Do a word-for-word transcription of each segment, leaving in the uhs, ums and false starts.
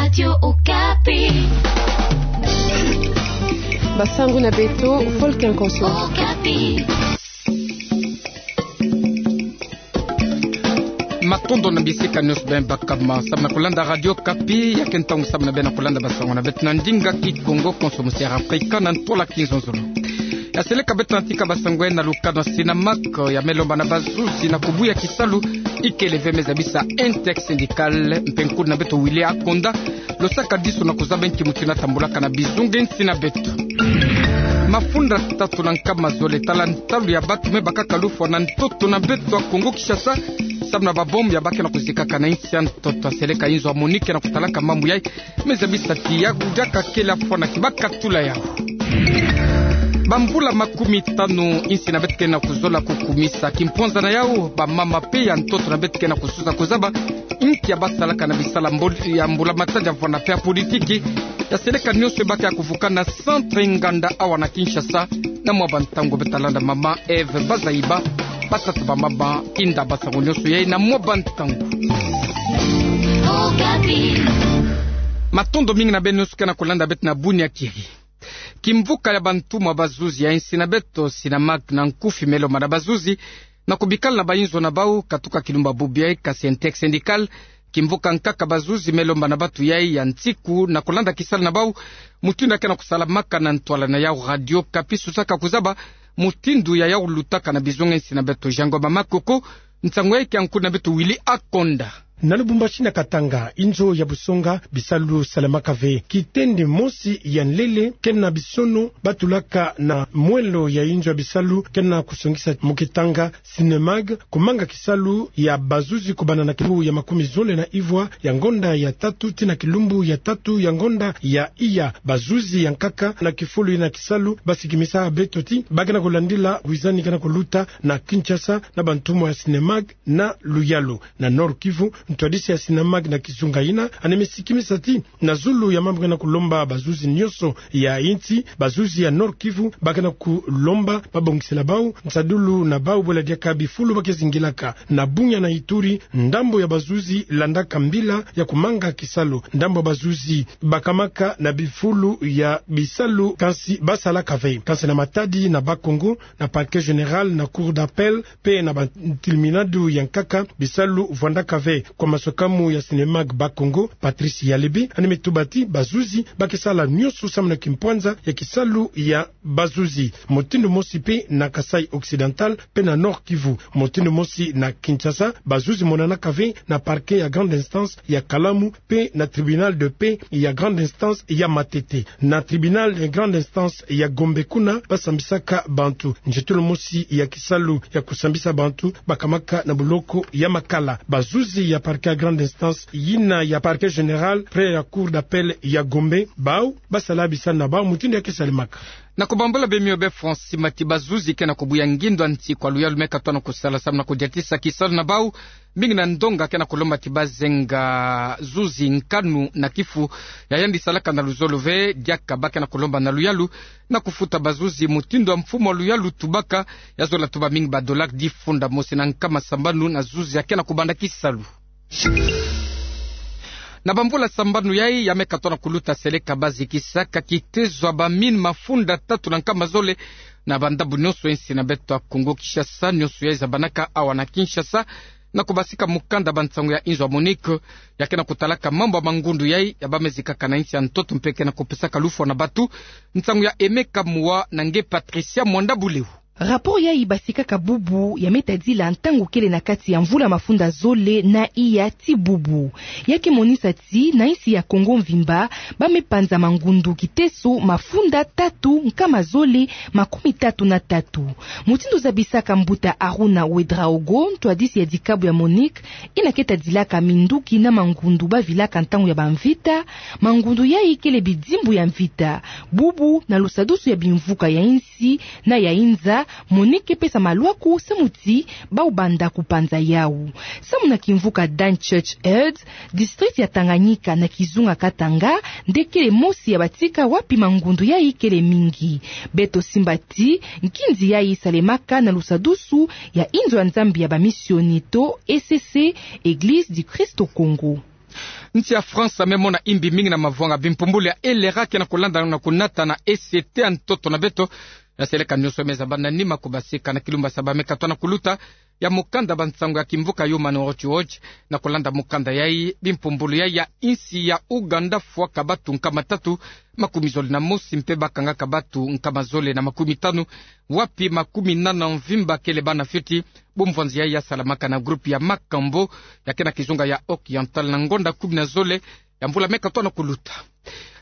Radio Okapi. Basango na beto, Volcan Konso. Okapi. Matondo na bisika nionso beno baka ma samu na kulanda Radio Okapi, ya ke ntangu samu na beno kulanda basango na beto na ndinga Kikongo, Konso, Musiere, Afrika na ntwala kinzonzolo. Ya seleka beto na tika basango na lukano ya SYNAMAC, ya me lomba na bazuzi na kubuya kisalu ikele ve, me zabisa intersyndical, mpe nkutu na beto Willy Akonda, lo saka diso na kuzaba nki mutindu na tambulaka na bizunga nsi na beto. Mafunda tatu na nkama zole, tala ntalu ya bantu me bakaka lufwa na ntoto na beto ya Kongo Kinshasa, samu na babombe ya ba ke na kuzikaka na nsi ya ntoto. Ya seleka inzo ya MONUC ke na kutalaka mambu yayi, me zabisa ti yawu diaka kele fwa na ki bakatula yawu. Bambula makumi tanu insi na beto ke na kuzola kukumisa kimpwanza na yawu, bamama mpe ya ntoto na beto ke na kususa kuzaba nki ya basalaka na bisala mbul-, ya mbulamatadi ya vwanda mpe ya politiki. Ya seleka nionso ba ke ya kuvukana na centre Inganda awa na Kinshasa. Na mwa bantangu beto ta landa mama Eve Bazaiba, batata bamama, inda basango nionso yayi na mwa bantangu. Matondo mingi na beno nionso ke na kulanda beto na buni ya kiri. Kimvuka ya bantumwa bazuzi ya insi na beto, SYNAMAC na nkufi, me lomba na bazuzi na kubikala na bainzo na bawu, katuka kilumbu bubu yayi, kasi intersyndical, kimvuka nkaka bazuzi me lomba na bantu yayi ya nsiku na kulanda kisalu na bawu mutindu ya ke na kusalamaka na ntwala na yawu. Radio Okapi susaka kuzaba mutindu ya yawu lutaka na bizunga nsi na beto. Jean Ngoma Makoko, nsangu yayi ke ya nkutu na beto Willy Akonda. Na Lubumbashi na Katanga, inzo ya busonga bisalu salamaka ve. Kitendi mosi ya nlele, ke na bisono ba tulaka na mwelo ya inzo ya bisalu, ke na kusongisa mu kitanga SYNEMAG, kumanga kisalu ya bazuzi kubanda na kilumbu ya makumi zole na ivwa ya ngonda ya tatu tii na kilumbu ya tatu ya ngonda ya iya. Bazuzi ya nkaka na kifulu yina kisalu ba sikimisa beto ti ba ke na kulandila wizani ke na kuluta na Kinshasa na bantumwa ya SYNEMAG na luyalu. Na Nord-Kivu, ntwadisi ya SYNEMAG na kizunga yina, ane me sikimisa ti na zulu ya mambu ke na kulomba bazuzi nionso ya insi, bazuzi ya Nord-Kivu ba ke na kulomba babongisela bawu nsadulu na bawu bwela diaka bifulu ba ke zingilaka. Na bunya na Ituri, ndambu ya bazuzi landaka mbila ya kumanga kisalu. Ndambu ya bazuzi bakamaka na bifulu ya bisalu, kansi basalaka ve. Kansi na Matadi, na Bas-Congo, na Parquet général, na Cour d'appel, mpe na bantilminadu ya nkaka, bisalu vwandaka ve. Kwa maswekamu ya SYNEMAG Bas-Congo, Patrice Yalebe, ane me tuba ti bazuzi ba ke sala nionso samu na kimpwanza ya kisalu ya bazuzi. Mutindu mosi mpe na Kasaï Occidental mpe na Nord-Kivu. Mutindu mosi na Kinshasa, bazuzi monanaka ve na parquet ya grande instance ya Kalamu mpe na tribunal de paix ya grande instance ya Matete. Na tribunal ya grande instance ya Gombe kuna ba sambisaka bantu. Nzietolo mosi ya kisalu ya kusambisa bantu bakamaka na buloko ya Makala. Bazuzi ya parquet ya grande instance yina ya Parquet général près ya Cour d'appel ya Gombe, bawu ba sala bisalu na bawu mutindu ya ke salemaka. Na kubambula bemio be Francis Mati, bazuzi ke na kubuya ngindo ya nsi kwa luyalu me katuka na kusala samu na kudiatisa kisalu na bawu, mingi na ndonga ke na kulomba ti bazenga zuzi nkanu na kifu ya yandi salaka na luzolo ve. Diaka ba ke na kulomba na luyalu na kufuta bazuzi mutindu ya mfumu ya luyalu tubaka, ya zola tuba mingi ba dollars difunda mosi na nkama sambanu na zuzi ya ke na kubanda kisalu. Na bambula sambanu yayi ya me katuka na kuluta, seleka ba zikisaka kitezo ya bamine mafunda tatu na nkama zole na bandambu nionso ya insi na beto ya Kongo Kinshasa. Nionso yayi zabanaka awa na Kinshasa na kubasika mukanda bansangu ya inzo ya MONUC ya ke na kutalaka mambu ya mangundu yayi ya ba me zikaka na insi ya ntoto mpe ke na kupesaka lufwa na bantu. Nsangu ya Aimé Kamuwa na nge Patricia Mwanda Buleu. Rapport yayi basikaka bubu ya me tadila ntangu kele na kati ya mvula mafunda zole na iya ti bubu. Ya ke monisa ti na insi ya Kongo mvimba ba me panza mangundu kiteso mafunda tatu nkama zole makumi tatu na tatu. Mutindu zabisaka mbuta Harouna Ouedraogo, ntwadisi ya dikabu ya MONUC, yina ke tadilaka minduki na mangundu ba vilaka ntangu ya bamvita, mangundu yayi kele bidimbu ya mvita. Bubu, na lusadusu ya bimvuka ya insi na ya inza, MONUC ke pesa malwaku samu ti bawu banda kupanza yawu. Samu na kimvuka Dunchurch Head, district ya Tanganyika na kizunga Katanga nde kele mosi ya batika wapi mangundu yayi kele mingi. Beto simba ti nkinzi yayi salemaka na lusadusu ya inzo ya Nzambi ya bamisioni to E C C, Église du Christ au Congo. Nsi ya France me mona imbi mingi na mavwanga. Bimpumbulu ya LRA ke na kulanda na kunata na E C T ya ntoto na beto. Ya seleka nionso me zaba na nima kubasika na kilumbu ya saba me katona kuluta ya mukanda ba nsangu ya kimvuka Human Rights Watch. Na kulanda mukanda yai, bimpumbulu yai ya insi ya Ouganda fwaka batu nkama tatu makumi zole na mosi mpe bakangaka batu nkama zole na makumi tanu, wapi makumi nana mvimba kele bana fioti. Bumvwanzi yai ya salamaka na groupe ya Makambo ya ke na kizunga ya Oriental na ngonda kumi na zole ya mvula me katona kuluta.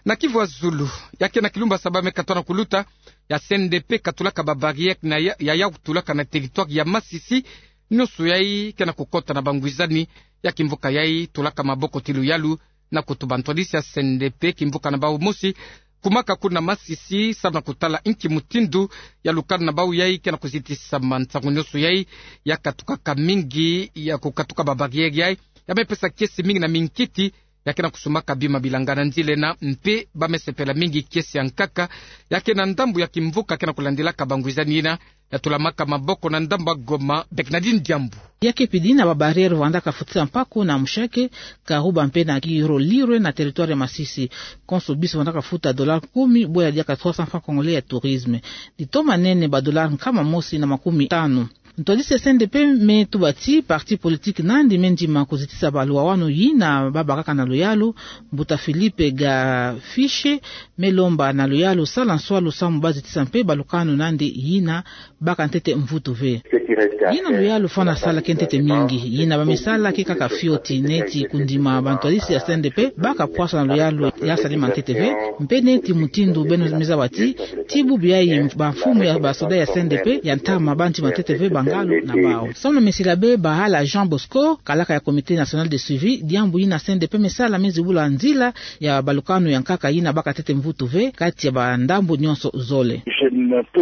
Na Kivu ya Zulu, ya ke na kilumbu ya saba me katona kuluta, ya C N D P katulaka ba barrière na ya, ya, ya kutulaka na territoire ya Masisi. Nionso yai ke na kukota na bangwizani ya kimvuka yai tulaka maboko ti luyalu na kutuba ntwadisi ya C N D P kimvuka na bau mosi kumaka kuna Masisi, samu na kutala inki mutindu ya lukanu na bau yai ke na kuzitisa. Ma nsangu nionso yai ya katukaka mingi, ya kukatuka ba barrière yai ya me pesa kiese mingi na minkiti ya ke na kusumbaka bima bilanga na nzila ena, mpe ba me sepela mingi kiese ya nkaka ya ke na ndambu ya kimvuka ke na kulandilaka bangwizani ena ya tulamaka maboko na ndambu ya Goma. Bernardine Diambu. Ya ke pidi na ba barrière vandaka futisa mpaku na Mushake, Karuba mpe na Kirolirwe na territoire ya Masisi. Konso bisi vandaka futa dollar kumi, bwe ya diaka trois cents francs congolais ya tourisme. Ditoma nene ba dollar nkama mosi na makumi tanu. Ntwadisi ya C N D P me tuba ti parti politique nandi me ndima kuzitisa baluwawanu yina babakaka na luyalu. Mbuta Philippe Gafiche me lomba na luyalu sala nswalu samu bazitisa mpe balukanu nandi yina baka ntete mvutu ve. Yina luyalu fana sala ke ntete mingi, yina ba me sala ke kaka fioti. Neti kundima bantwadisi ya C N D P baka pwasa na luyalu ya salama ntete ve, mpe neti mutindu beno me zaba ti, ti bubu yai bamfumu ya basoda ya C N D P ya ntama ba ndima ntete ve bangalu na bau. Samu na mesila be Bahala Jean Bosco, kalaka ya Comité National de Suivi, diambu yina C N D P me sala me zibula nzila ya balukanu ya nkaka yina baka ntete mvutu ve kati ya bandambu nionso zole.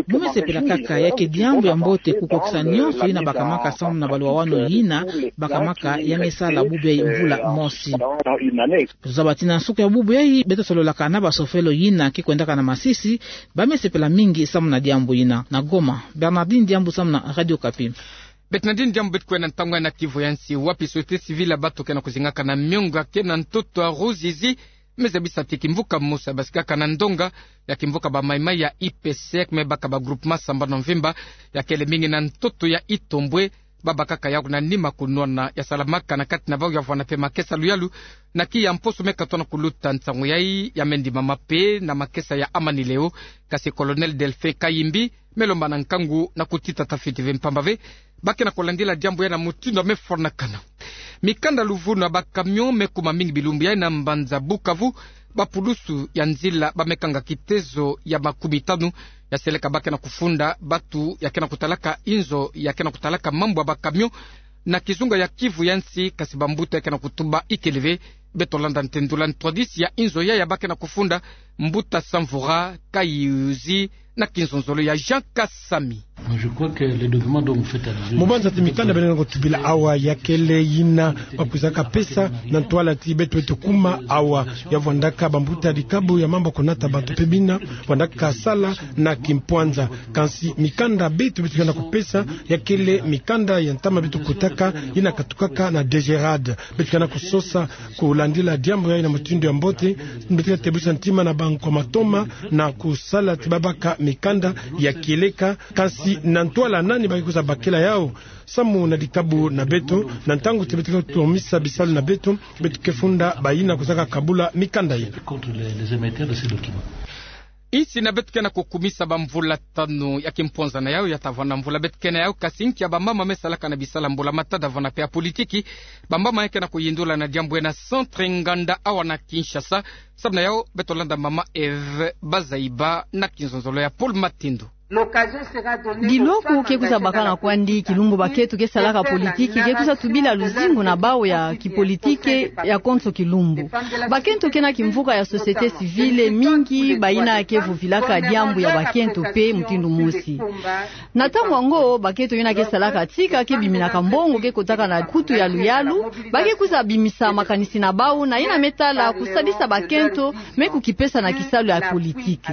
Bo me sepela kaka, ya ke diambu ya mbote kukokisa nionso yina bakamaka samu na baluwawanu yina bakamaka ya me sala bubu yai mvula mosi. Zaba ti na nsuka ya bubu yai beto sololaka na basofelo yina ke kwendaka na Masisi, ba me sepela mingi samu na diambu yina. Na Goma, Bernardine Diambu samu na Radio Okapi. Bernardine Diambu, beto kwenda ntangu yai na Kivu ya nsi, wapi société civile ya bato ke na kuzingaka na miongo ya ke na ntoto ya Ruzizi me zabisa ti kimvuka mosi ya basikaka na ndonga ya kimvuka ba Maïmaï ya I P C me baka ba groupement sambanu mvimba ya kele mingi na ntoto ya Itombwe, babakaka yau na nima kunwana ya salamaka na kati na bau ya vwanda mpe makesa luyalu. Na kiya mposo me katona kuluta nsangu yai ya me ndimama mpe na makesa ya Amani Leo, kasi Colonel Delphin Kayimbi me lomba na nkangu na kutita tafiti ve mpamba ve ba ke na kulandila diambu yai na mutindu ya me fwanakana. Mikanda luvunu ya ba camion me kuma mingi bilumbu yai na mbanza Bukavu. Bapulusu ya nzila ba me kanga kitezo ya makumi tanu ya seleka ba ke na kufunda bato ya ke na kutalaka inzo ya ke na kutalaka mambu ya ba camion na kizunga ya Kivu ya nsi, kasi bambuta ya ke na kutuba ikele ve. Beto landa ntendula ntwadisi ya inzo yai ya ba ke na kufunda, mbuta Samvura Kayuzi, na kinzonzolo ya Jean Kasami. Mu banza ti mikanda beno ke na kutubila awa ya kele yina ba kwizaka pesa na ntwala ti beto beto kuma awa, ya vwandaka bambuta dikabu ya mambu ya kunata bato mpe bina vwandaka sala na kimpwanza. Kansi mikanda beto beto ke na kupesa ya kele mikanda ya ntama beto kotaka yina katukaka na DGRAD. Beto ke na kusosa kulandila diambu yai na mutindu ya mbote. Beto ke na tebusa ntima na bankwa matoma na kusala ti babaka mikanda ya kieleka, kansi na ntwala nani ba ke kwiza bakela yau samu na dikabu na beto, na ntangu ti beto ke tomisa bisalu na beto, beto ke funda bayina kwizaka kabula mikanda yina. Insi na beto ke na kukumisa bamvula tanu ya kimpwanza na yau, ya ta vwanda mvula beto ke na yau, kasi nkia bamama me salaka na bisalu ya mbula matadi vwanda mpe ya politiki. Bamama ya ke na kuyindula na diambu yai na centre nganda awa na Kinshasa. Samu na yau beto landa mama Eve Bazaiba na kinzonzolo ya Paul Matindo. Biloko ke kwiza bakana kwandi kilumbu bakento ke salaka politiki ke kwiza tubila luzingu na bau ya kipolitiki ya konso kilumbu. Bakento ke na kimvuka ya société civile mingi, bayina ke vuvilaka diambu ya bakento mpe mutindu mosi. Na ntangu yango, bakento yina ke salaka tika ke biminaka mbongo ke kotaka na kutu ya luyalu, ba ke kwiza bimisa makanisi na bau na yina me tala kusalisa bakento me kukipesa na kisalu ya politiki.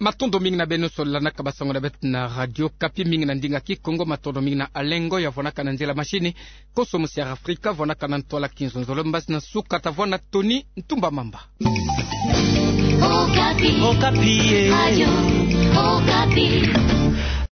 Matondo mingi na beno sola na kabasango na beto na Radio Okapi, mingi na ndinga Kikongo. Matondo mingi na Alengo ya vwanaka na nzila mashini, konso musi ya Afrika vwanaka na ntwala kizonzolo. Mbasi na nsuka tavwani na Tony Ntumba Mamba. Okapi. Okapi, eh. Radio